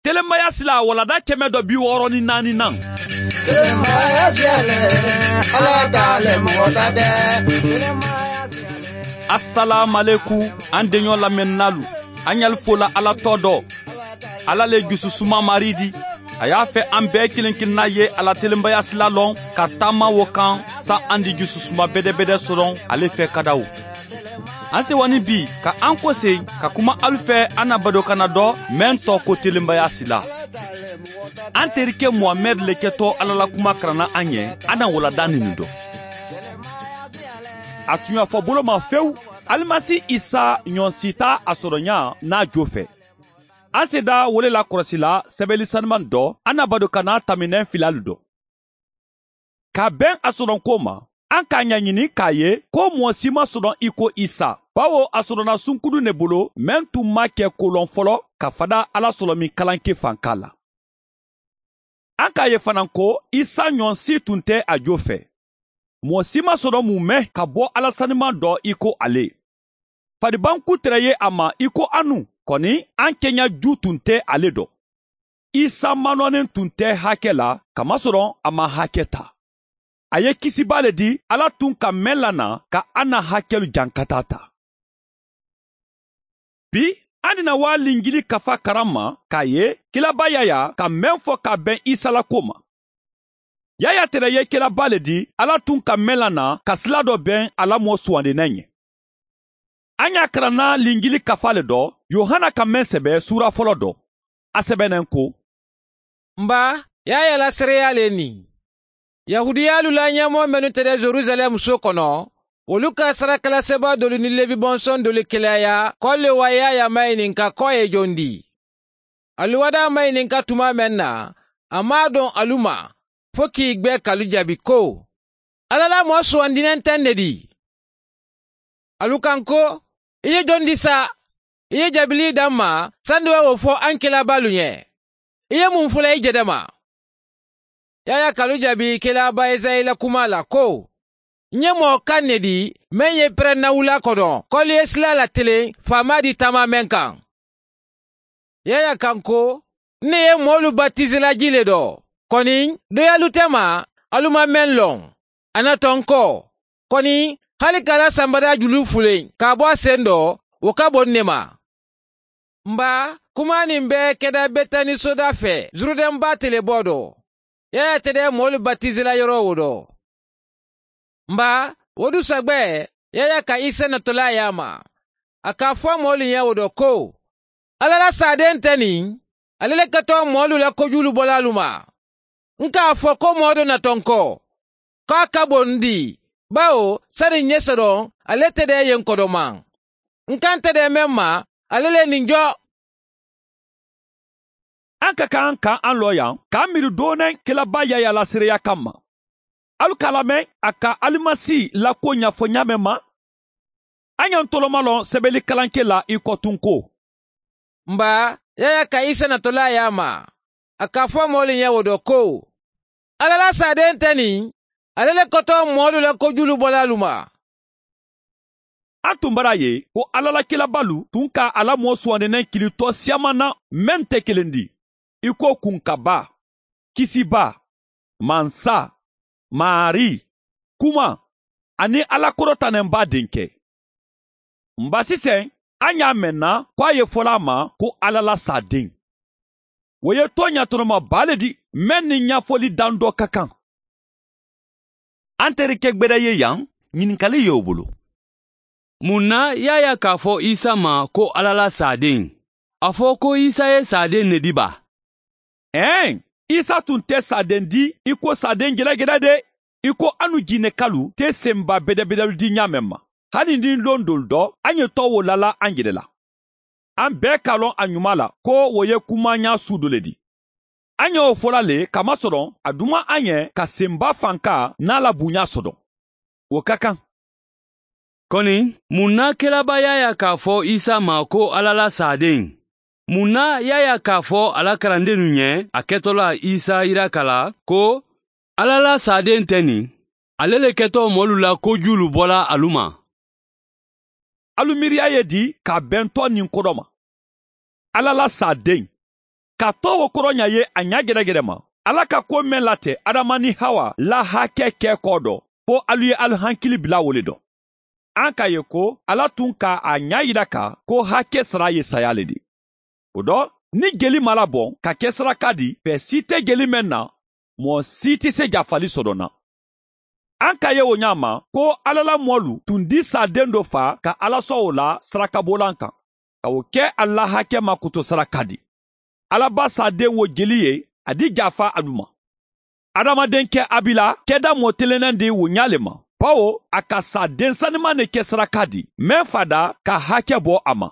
Telemaya sila walada 164 nan. Telemaya siyale, Ala t'ale mɔgɔ ta tɛ. Assalamu alaikum an denɲɔ lamɛnnalu. An y'al fola Ala tɔ dɔ. Ala le jususuma mari di. A y'a fɛ an bɛɛ kelen kelenna ye Ala telenbaya sila lɔn ka taama wo kan sa an di jususuma bɛdɛbɛdɛ sɔrɔ ale fɛ kadaw. An sewani bi ka an kɔsen ka kuma alu fɛ an na badokana dɔ mɛn tɔ ko telenbaya sila. An terikɛ Muhamɛd le kɛtɔ Ala la kuma karanna an ɲɛ, an na walada nin dɔ. A tun y'a fɔ bolo ma fewu, Alimasi Isa ɲɔnsi t'a a sɔrɔ ɲa n'a jo fɛ. An seda wele la kɔlɔsi la sɛbɛnni sanuman dɔ, an na badokana taminɛ filalu dɔ. Ka bɛn a sɔrɔ ko ma, an k'a ɲɛɲini k'a ye ko mɔgɔ si ma sɔrɔ i ko Isa. Bawo a sɔrɔla sunkuru ne bolo, mɛn tun ma kɛ kolɔn fɔlɔ ka fada Ala sɔrɔ min kalanke fanka la. An k'a ye fana ko Isa ɲɔnsi tun tɛ a jo fɛ. Mɔgɔ si ma sɔrɔ mun mɛn ka bɔ Ala sanuman dɔ i ko ale. Faribanku tɛrɛ ye a ma i ko anu, kɔni an kɛɲɛ ju tun tɛ ale dɔ. Isa manɔnen tun tɛ hakɛ la, kamasɔrɔ a ma hakɛ ta. A ye kisiba le di Ala tun ka mɛn lana ka an na hakɛlu jankata ta. Bi, an dina waa lingili kafa karan ma k'a ye kilaba Yaya ka mɛn fɔ ka bɛn Isa la ko ma. Yaya tɛrɛ ye kilaba le di Ala tun ka mɛn lana ka sila dɔ bɛn a la mɔ sugandinɛ ɲɛ. An y'a karanna lingili kafa le dɔ, Yohana ka mɛn sɛbɛ sura fɔlɔ dɔ. A sɛbɛnnen ko: Nba, Yaya la seereya le nin. Yahudiyalu la ɲɛmɔgɔ minnu tɛ Jerusalɛm so kɔnɔ, olu ka sarakalasebaa dolu ni Levi bɔnsɔn dolu kelaya k'olu wa Yaya maɲininka k'o ye jɔn di. Alu wada maɲininka tuma mɛn na, a m'a dɔn alu ma, fo k'i gbɛ k'alu jaabi ko, Ala la mɔgɔ sugandinen tɛ ne di. Alu kan ko, i ye jɔn di sa? I ye jaabili d'an ma, sani wa o fɔ an kelabalu ɲɛ. I ye mun fɔla i jɛdɛ ma? Yaya k'alu jaabi kelaba Esayi la kuma la ko, n ye mɔgɔ kan ne di mɛn ye pɛrɛnna wula kɔnɔ k'alu ye sila latelen faama di taama mɛn kan. Yaya kan ko, ne ye mɔɔlu batizela ji le dɔ, kɔni dɔ y'alu tɛ ma alu ma mɛn lɔn, a na tɔn kɔ, kɔni hali k'ala sanbada julu fulen k'a bɔ a sen dɔ, o ka bon ne ma. Nba, kuma nin bɛɛ kɛda Betani soda fɛ, Zurudɛn ba telebɔ dɔ. Yaya tɛ dɛ mɔɔlu batizela yɔrɔ o dɔ. Nba, o dusagbɛ, Yaya ka Isa natɔla y'a ma. A k'a fɔ mɔɔlu ɲɛ o dɔ ko, Ala la saden tɛ nin, ale le kɛtɔ mɔɔlu la kojulu bɔla alu ma. N k'a fɔ ko mɔɔ dɔ natɔ n kɔ, k'a ka bon n di, bawo sani n ɲɛ sɔrɔ, ale tɛ dɛ yen kɔdɔma. N kan tɛ dɛ mɛn ma, ale le nin jɔ. An ka kan ka an lɔ yan k'an miiri dɔɔnin kelaba Yaya la seereya kama. Alu k'a lamɛn a ka Alimasi la ko ɲɛfɔ ɲa mɛn ma. An y'an tɔlɔma lɔn sɛbɛnni kalanke la i kɔtun ko. Nba, Yaya ka Isa natɔla y'a ma. A k'a fɔ mɔɔlu ɲɛ o dɔ ko, Ala la saden tɛ nin, ale le kɔtɔ mɔɔlu la kojulu bɔla alu ma. An tun bara ye ko Ala la kelabalu tun ka ala mɔ sugandinɛ kilitɔ siyaman na mɛn tɛ kelen di. I ko kunkaba, kisiba, mansa, mari, kuma, ani Ala kɔrɔtanɛnba denkɛ. Nba sisan, an y'a mɛn na ko a ye fɔla a ma ko Ala la saden. O ye tɔ ɲatɔnɔma ba le di, mɛn ni ɲɛfɔli dan dɔ ka kan. An terikɛ gbɛdɛ ye yan, ɲininkali y'o bolo. Mun na Yaya k'a fɔ Isa ma ko Ala la saden? A fɔ ko Isa ye saden ne di ba? Ɛn, Isa tun tɛ saden di i ko saden gɛlɛgɛlɛ de, i ko anu jinɛkalu tɛ senba bɛdɛbɛdɛlu di ɲa mɛn ma. Hali ni lon dolu dɔ, an ye tɔ wo lala an yɛrɛ la. An bɛɛ k'a lɔn a ɲuman la ko o ye kuma ɲa su dɔ le di. An y'o fɔla le kamasɔrɔ a duma an ɲɛ ka senba fanka n'a la bonya sɔrɔ. O ka kan. Kɔni, mun na kelaba Yaya k'a fɔ Isa ma ko Ala la saden? Mun na Yaya k'a fɔ a la kalandennu ɲɛ a kɛtɔ la Isa yira la ko Ala la saden tɛ nin, ale le kɛtɔ mɔlu la kojulu bɔla alu ma? Alu miiriya ye di ka bɛn tɔ nin ko dɔ ma. Ala la saden. Ka tɔ o kɔrɔ ɲa ye a ɲa gɛrɛgɛrɛ ma. Ala ka ko mɛn latɛ Adama ni Hawa la hakɛ kɛ kɔ dɔ, fo alu ye alu hankili bila o le dɔ. An k'a ye ko Ala tun ka a ɲa yira ka ko hakɛ sara ye saya le di. O dɔ, ni jeli ma labɔn ka kɛ saraka di, fɛ si tɛ jeli mɛn na, mɔɔ si tɛ se jafali sɔrɔ na. An k'a ye o ɲa ma ko Ala la mɔlu tun di saden dɔ fa ka Ala sɔn o la sarakabolan kan, ka o kɛ a la hakɛ ma koto saraka di. Ala ba saden wo jeli ye, a di jafa alu ma. Adamaden kɛ Abila kɛda mɔ telennen di o ɲa le ma, bawo a ka saden saniman de kɛ saraka di, mɛn fada ka hakɛ bɔ a ma.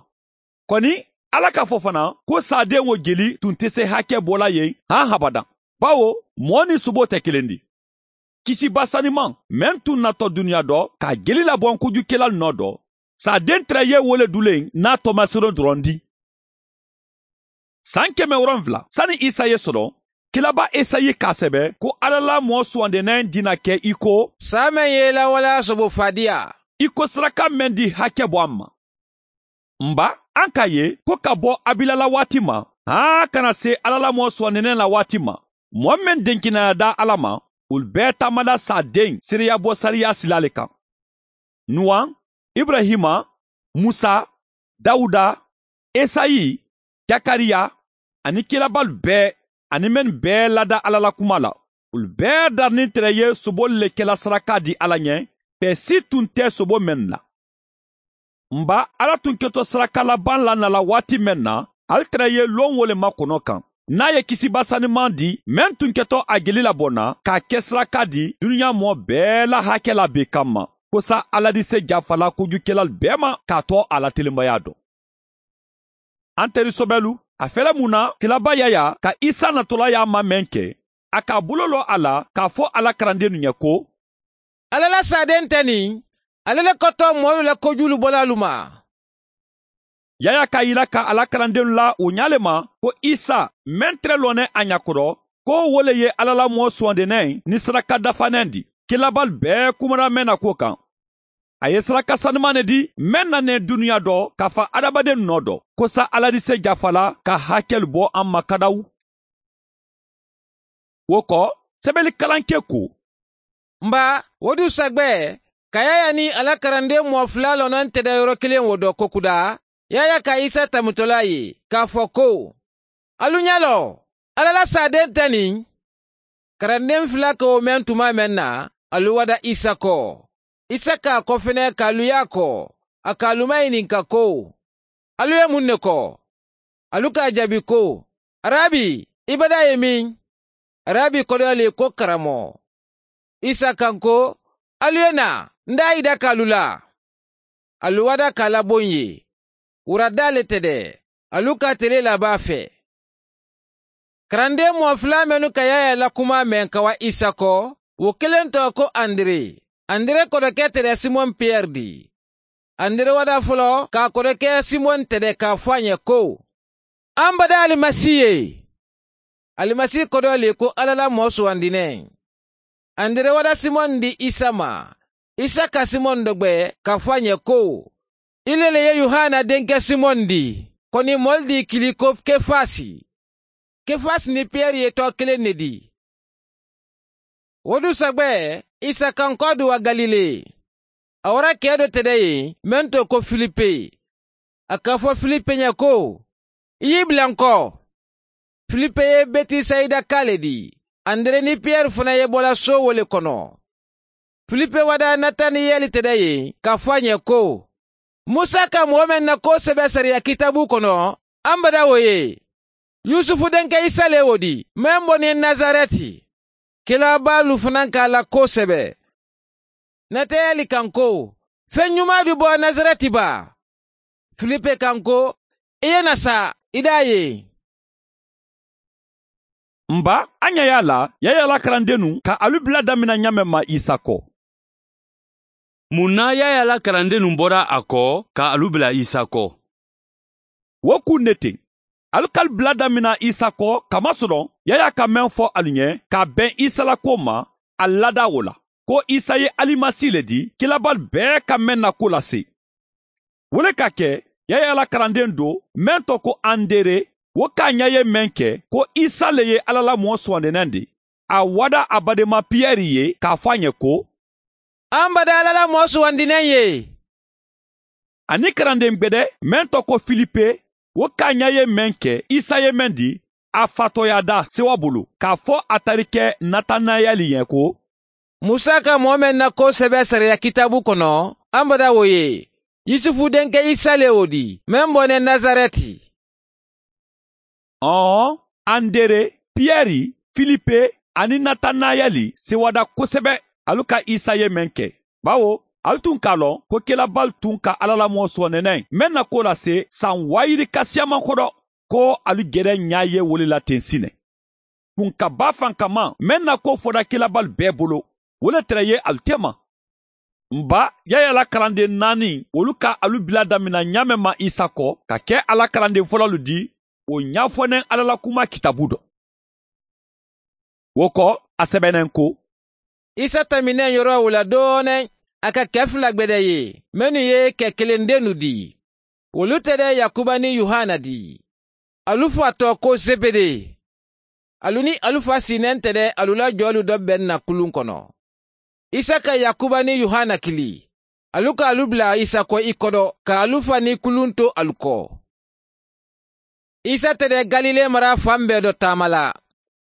Kɔni Ala k'a fɔ fana ko saden wo jeli tun tɛ se hakɛ bɔla yen han habada, bawo mɔɔ ni sobo tɛ kelen di. Kisiba saniman mɛn tun natɔ dunuya dɔ ka jeli labɔ kojukɛla nɔ dɔ, saden tɛrɛ ye wole dulen n'a tɔmasero dɔrɔn di. San 700 sani Isa ye sɔrɔ, Kilaba Esayi k'a sɛbɛ ko Ala la mɔɔ sugandenen dina kɛ i ko sa mɛn ye lawaleya sobo fadiya, i ko saraka mɛn di hakɛ bɔ an ma. Nba an k'a ye ko ka bɔ Abila la waati ma, han kana se Ala la mɔɔ sugandenen la waati ma, mɔɔ mɛn denkinaya da Ala ma, olu bɛɛ taamada saden seereya bɔ sariya sila le kan. Nuwan, Ibrahima, Musa, Dawuda, Esayi, Jakariya ani kilabalu bɛɛ ani mɛn bɛɛ lada Ala la kuma la, olu bɛɛ darinin tɛrɛ ye soboli le kɛla saraka di Ala ɲɛ, fɛ si tun tɛ sobo mɛn la. Nba Ala tun kɛtɔ saraka laban la nala waati mɛn na, ale tɛrɛ ye lon wo le makɔnɔ kan. N'a ye kisiba saniman di, mɛn tun kɛtɔ a jeli labɔ na k'a kɛ saraka di dunuya mɔɔ bɛɛ la hakɛ la bi kama, ko sa Ala di se jafala kojukɛla bɛɛ ma k'a tɔ a la telenbaya dɔn. An teri sɔbɛlu, a fɛlɛ mun na kilaba Yaya ka Isa natɔla y'a ma mɛn kɛ, a k'a bolo lɔ a la k'a fɔ Ala karandennu ɲɛ ko, Ala la saden tɛ nin, ale le kɔtɔ mɔɔlu la kojulu bɔla alu ma. Yaya k'a yira ka Ala karandennu la o ɲa le ma ko Isa mɛn tɛrɛ lɔnɛ a ɲakɔrɔ, ko wo le ye Ala la mɔɔ sugandenen ni saraka dafanɛn di. Kilabalu bɛɛ kumana mɛn na ko kan. A ye saraka sanuman ne di mɛn nanen dunuya dɔ k'a fa adamaden nɔ dɔ, ko sa Ala di se jafala ka hakɛlu bɔ an ma kadawu. O kɔ, sɛbɛnni kalanke ko, Nba o du sagbɛ, ka Yaya ni Ala karanden mɔɔ fila lɔnna tɛ da yɔrɔ kelen wo dɔ kokuda, Yaya ka Isa tamutɔla ye k'a fɔ ko, alu ɲɛ lɔ, Ala la saden tɛ nin. Karanden fila k'o mɛn tuma mɛn na, alu wada Isa kɔ. Isa k'a kɔfɛnɛ k'alu y'a kɔ, a k'alu maɲininka ko, alu ye mun de kɔ? Alu k'a jaabi ko, Arabi, i bada ye min? Arabi kɔrɔ le ko karamɔgɔ. Isa kan ko, alu ye na, n d'a yida k'alu la. Alu wada k'a labon ye. Wurada le tɛ dɛ, alu ka tele laban fɛ. Karanden mɔgɔ fila minnu ka Yaya la kuma mɛn ka wa Isa kɔ, o kelen tɔgɔ ko Andre. Andre kɔrɔkɛ tɛrɛ Simɔn Pierre di. Andre wada fɔlɔ k'a kɔrɔkɛ Simɔn tɛrɛ k'a fɔ a ɲɛ ko, an bada Alimasi ye. Alimasi kɔrɔ le ko Ala la mɔɔ sugandinɛ. Andre wada Simɔn di Isa ma. Isa ka Simɔn dɔgbɛ k'a fɔ a ɲɛ ko, ile le ye Yohana denkɛ Simɔn di, kɔni mɔli di kili ko Kefasi. Kefasi ni Pierre ye tɔ kelen de di. O du sagbɛ, Isa kan kɔ du wa Galile. A wara kɛ dɔ tɛdɛ ye, mɛn to ko Filipe. A k'a fɔ Filipe ɲɛ ko, i y'i bila n kɔ. Filipe ye Betisayida ka le di. Andre ni Pierre fana ye bɔla so wo le kɔnɔ. Filipe wada Nataniyɛli tɛdɛ ye k'a fɔ a ɲɛ ko, Musa ka mɔgɔ mɛn na ko sɛbɛ sariya kitabu kɔnɔ, an bada o ye. Yusufu denkɛ Isa le o di, mɛn bɔ ni Nazarɛti. Kilabalu fana k'a la ko sɛbɛ. Natayɛli kan ko, fɛn ɲuman bi bɔ Nazarɛti ba. Filipe kan ko, i ye na sa, i d'a ye. Nba an ɲɛ y'a la, Yaya la karandennu ka alu bila damina ɲamɛ ma Isa kɔ. Mun na Yaya la karandennu bɔra a kɔ ka alu bila Isa kɔ? O kun ne ten. Alu k'alu bila damina Isa kɔ kamasɔrɔ Yaya ka mɛn fɔ alu ɲɛ k'a bɛn Isa la ko ma, a lada o la. Ko Isa ye Alimasi le di, kilabalu bɛɛ ka mɛn na ko lase. Wele ka kɛ, Yaya la karanden do, mɛn tɔ ko Andere, Wo k'a ɲɛ ye mɛn kɛ ko Isa le ye Ala la mɔɔ sugandinen di, a wada a badenma Piyɛri ye k'a fɔ a ɲɛ ko, An bada Ala la mɔɔ sugandinen ye. Ani karanden gbɛdɛ mɛn tɔ ko Filipe, wo k'a ɲɛ ye mɛn kɛ Isa ye mɛn di, a fatɔya da sewa bolo k'a fɔ a tarikɛ Natanayɛli ɲɛ ko, Musa ka mɔɔ mɛn na ko sɛbɛ sariya kitabu kɔnɔ, an bada wo ye. Yusufu denkɛ Isa le o di, mɛn bɔnɛ Nazarɛti. Ɔn, Andere, Piyɛri, Filipe ani Natanayɛli sewada kosɛbɛ alu ka Isa ye mɛn kɛ. Bawo alu tun k'a lɔn ko kelabali tun ka Ala la mɔɔ sɔnɛnɛ mɛn na ko lase san 20 siyaman kɔdɔ ko alu gɛrɛ ɲa ye wole la ten sinɛ. Kun ka ba fan kama mɛn na ko fɔda kelabali bɛɛ bolo, wole tɛrɛ ye alu tɛma. Nba Yaya la kalanden 4 olu ka alu bila damina ɲamɛ ma Isa kɔ ka kɛ Ala kalanden fɔlɔlu di, o ɲafɔnɛ Ala la kuma kitabu dɔ. Wo kɔ a sɛbɛnɛn ko, Isa taminɛ yɔrɔ o la dɔɔnin, a ka kɛ 2 gbɛdɛ ye, minnu ye kɛ kelen dennu di. Olu tɛ dɛ Yakuba ni Yohana di. Alu fa tɔ ko Zebede. Alu ni alu fa sinɛn tɛ dɛ alu la jɔlu dɔ bɛn na kulun kɔnɔ. Isa ka Yakuba ni Yohana kili. Alu ka alu bila Isa kɔ i kɔdɔ, ka alu fa ni kulun to alu kɔ. Isa tɛ dɛ Galile mara fan bɛɛ dɔ taama la.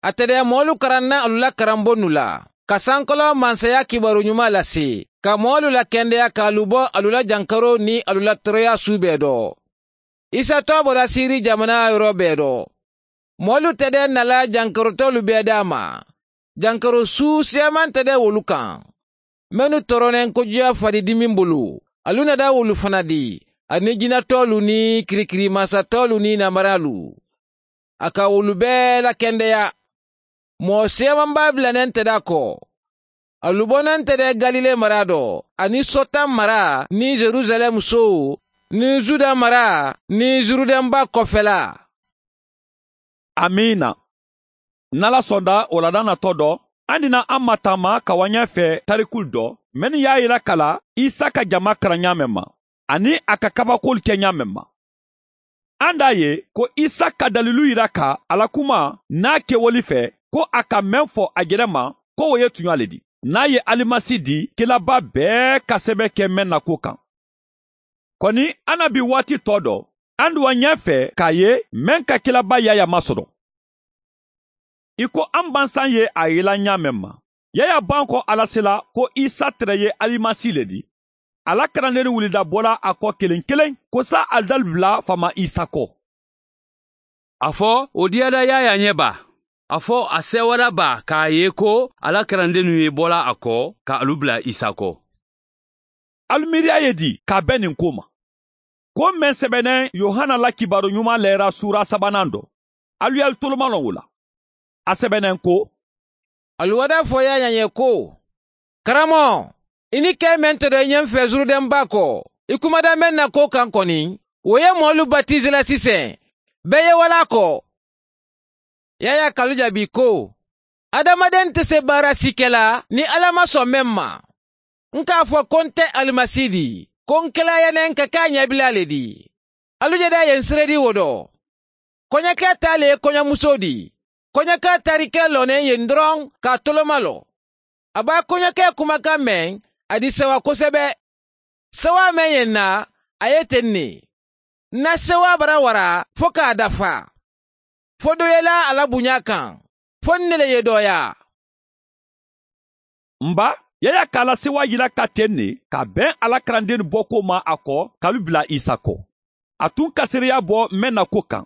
A tɛ dɛ mɔɔlu karanna alu la karanbonnu la, ka sankɔlɔ mansaya kibaru ɲuman lase, ka mɔɔlu la kɛndɛya k'alu bɔ alu la jankaro ni alu la tɔɔrɔya su bɛɛ dɔ. Isa tɔ bɔra Siri jamana yɔrɔ bɛɛ dɔ. Mɔɔlu tɛ dɛ nala jankarotɔlu bɛɛ d'a ma. Jankaro su siyaman tɛ dɛ wolu kan. Minnu tɔɔrɔnen kojuya faridimi bolo, alu nada wolu fana di, ani jinɛtɔlu ni kirikirimasatɔlu ni namaralu. A ka wolu bɛɛ lakɛndɛya. Mɔɔ siyaman b'a bilanen tɛ d'a kɔ. Alu bɔnen tɛ dɛ Galile mara dɔ, ani Sɔtan mara ni Jerusalɛm so, ni Juda mara ni Zurudɛnba kɔfɛla. Amina. N'Ala sɔnda o laada natɔ dɔ, an dina an ma taama ka wa ɲɛfɛ tarikul dɔ, mɛnni y'a yira kala Isa ka jama karan ɲa mɛn ma, ani a ka kabakolu kɛ ɲa mɛn ma. An d'a ye ko Isa ka dalilu yira ka Ala kuma n'a kɛwali fɛ ko a ka mɛn fɔ a yɛrɛ ma ko o ye tuɲa le di. N'a ye alimasi di kelaba bɛɛ ka sɛbɛ kɛ mɛn na ko kan. Kɔni an na bi waati tɔ dɔ, an duwa ɲɛfɛ k'a ye mɛn ka kelaba Yaya masɔrɔ. I ko an bansan ye a yela ɲa mɛn ma. Yaya ban kɔ Ala sela ko Isa tɛrɛ ye alimasi le di. Ala kalanden wulida bɔla a kɔ kelen kelen ko sa alidali bila fama Isa kɔ. A fɔ o diyada Yaya ɲɛ ba. A fɔ a sɛwara ba k'a ye ko Ala kalandennu ye bɔla a kɔ ka alu bila Isa kɔ. Alu miiriya ye di k'a bɛn nin ko ma. Ko mɛn sɛbɛnɛ Yohana la kibaru ɲuman lɛra sura 3nan dɔ. Alu y'alu toloma lɔn o la. A sɛbɛnɛ ko, Alu wada fɔ Yaya ɲɛ ko, Karamɔgɔ, i ni kɛ mɛn tɛ dɔ i ɲɛ fɛ Zurudɛnba kɔ, i kumada mɛn na ko kan kɔni, o ye mɔɔlu batize la sisan, bɛɛ ye wala kɔ. Yaya kalu jaabi ko, Adamaden tɛ se baara si kɛ la ni Ala ma sɔn mɛn ma. N k'a fɔ ko n tɛ alimasi di, ko n kɛla yɛnɛ ka k'a ɲɛbila le di. Alu jɛda ye n seredi wo dɔ. Kɔɲɔkɛ ta le ye kɔɲɔmuso di. Kɔɲɔkɛ tarikɛ lɔnnen yen dɔrɔn k'a toloma lɔ. A b'a kɔɲɔkɛ kumakan mɛn, a di sewa kosɛbɛ. Sewa mɛn yen na, a ye ten ne. Na sewa bara wara fo k'a dafa. Fo dɔ yela a la bonya kan, fo ne le ye dɔya. Nba, Yaya k'a la sewa yira ka ten ne ka bɛn Ala kalanden bɔ ko ma a kɔ k'alu bila Isa kɔ. A tun ka seereya bɔ mɛn na ko kan.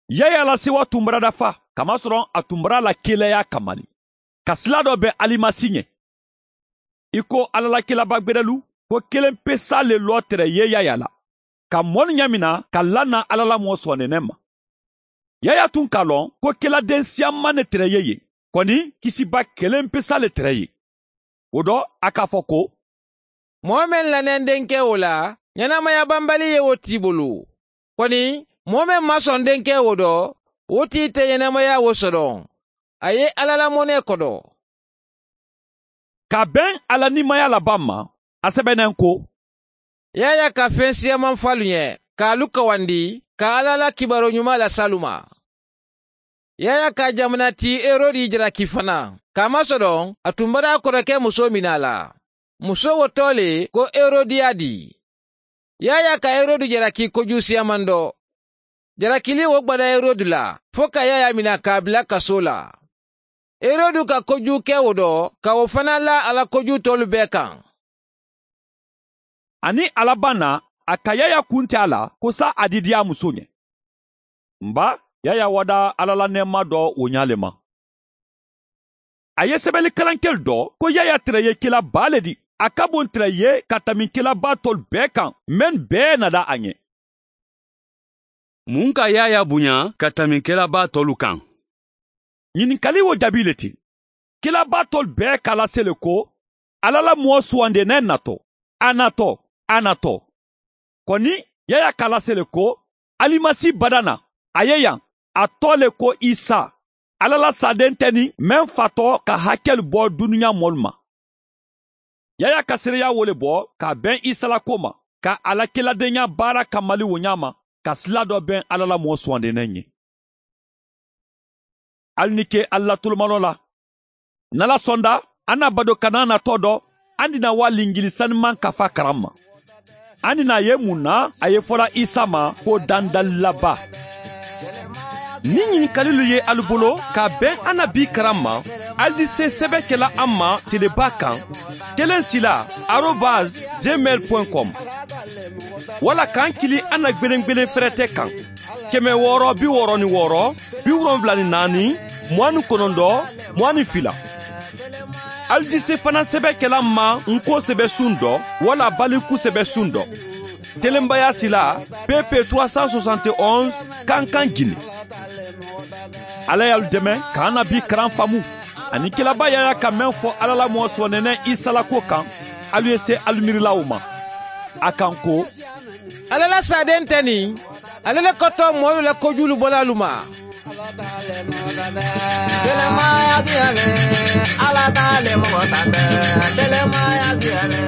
Yaya la sewa tun bara dafa, kamasɔrɔ a tun bara la kelaya kamali. Ka sila dɔ bɛn alimasi ɲɛ. I ko Ala la kelaba gbɛdɛlu ko kelen pe sa le lɔ tɛrɛ ye Yaya la. Ka mɔni ɲɛ min na ka lana Ala la mɔɔ sɔnnɛnɛ ma. Yaya tun k'a lɔn ko keladen siyaman ne tɛrɛ ye yen. Kɔni kisiba kelen pe sa le tɛrɛ ye. O dɔ a k'a fɔ ko, Mɔgɔ mɛn lanɛn denkɛ o la, ɲɛnamaya banbali ye o t'i bolo. Kɔni mɔgɔ mɛn ma sɔn denkɛ o dɔ, o t'i tɛ ɲɛnamaya o sɔrɔ. A ye Ala la mɔnɛ kɔdɔ. Ka bɛn Ala nimaya laban ma, a sɛbɛnnen ko, Yaya ka fɛn siyaman falu ɲɛ, k'alu kawandi, ka Ala la kibaro ɲuman las'alu ma. Yaya ka jamana ti Erodi jalaki fana, kamasɔrɔ a tun bara a kɔrɔkɛ muso minɛ a la. Muso wo tɔ le ko Erodiyadi. Yaya ka Erodi jalaki kojugu siyaman dɔ. Jalakili wo gbada Erodi la, fo ka Yaya mina k'a bila kaso la. Erodi ka kojugu kɛ o dɔ, ka o fana la a la kojugu tɔlu bɛɛ kan. Ani a laban na, a ka Yaya kun tɛ a la ko sa a di diya muso ɲɛ. Nba Yaya wada Ala la nɛɛma dɔ o ɲa le ma. A ye sɛbɛnni kalankɛli dɔ ko Yaya tɛrɛ ye kelaba le di. A ka bon tɛrɛ ye ka tɛmɛ kelaba tɔlu bɛɛ kan, mɛn bɛɛ nada a ɲɛ. Mun ka Yaya bonya ka tɛmɛ kelaba tɔlu kan? Ɲininkali wo jaabi le ti. Kelaba tɔlu bɛɛ k'a lase le ko Ala la mɔgɔ sugandenen natɔ, a natɔ, a natɔ. Kɔni Yaya k'a lase le ko Alimasi bada na, a ye yan, a tɔ le ko Isa. Ala la saden tɛ ni mɛn fatɔ ka hakɛli bɔ dunuya mɔlu ma. Yaya ka seereya wo le bɔ ka bɛn Isa la ko ma, ka a la keladenya baara kamali wo ɲa ma, ka sila dɔ bɛn Ala la mɔgɔ sugandenen ye. Hali ni ke Ala la tolomalɔ la. N'Ala sɔnda, an na bado kana natɔ dɔ, an dina wa lingili saniman kafa karan ma. An dina ye mun na a ye fɔla Isa ma ko dandalilaba. Ni ɲininkalilu ye alu bolo ka bɛn an na bi karan ma, alu di se sɛbɛ kɛla an ma teleba kan 1 sila @gmail.com wala k'an kili an na gbelengbelen fɛrɛtɛ kan 666 74 29 22. Alu di se fana sɛbɛ kɛla ma nko sɛbɛ sun dɔ wala baliku sɛbɛ sun dɔ telenbaya sila PP 371 Kankan, Gine. Ala y'alu dɛmɛ k'an na bi karan faamu ani kelaba Yaya ka mɛn fɔ Ala la mɔgɔ sɔnɛnɛ Isa la ko kan. Alu ye se alu miirilaw ma a kan ko Ala la saden tɛ nin, ale le kɔtɔ mɔɔlu la kojugu bɔla alu ma. Telemaya diɲɛ, Ala t'ale mɔgɔ ta tɛ. Telemaya diɲɛ.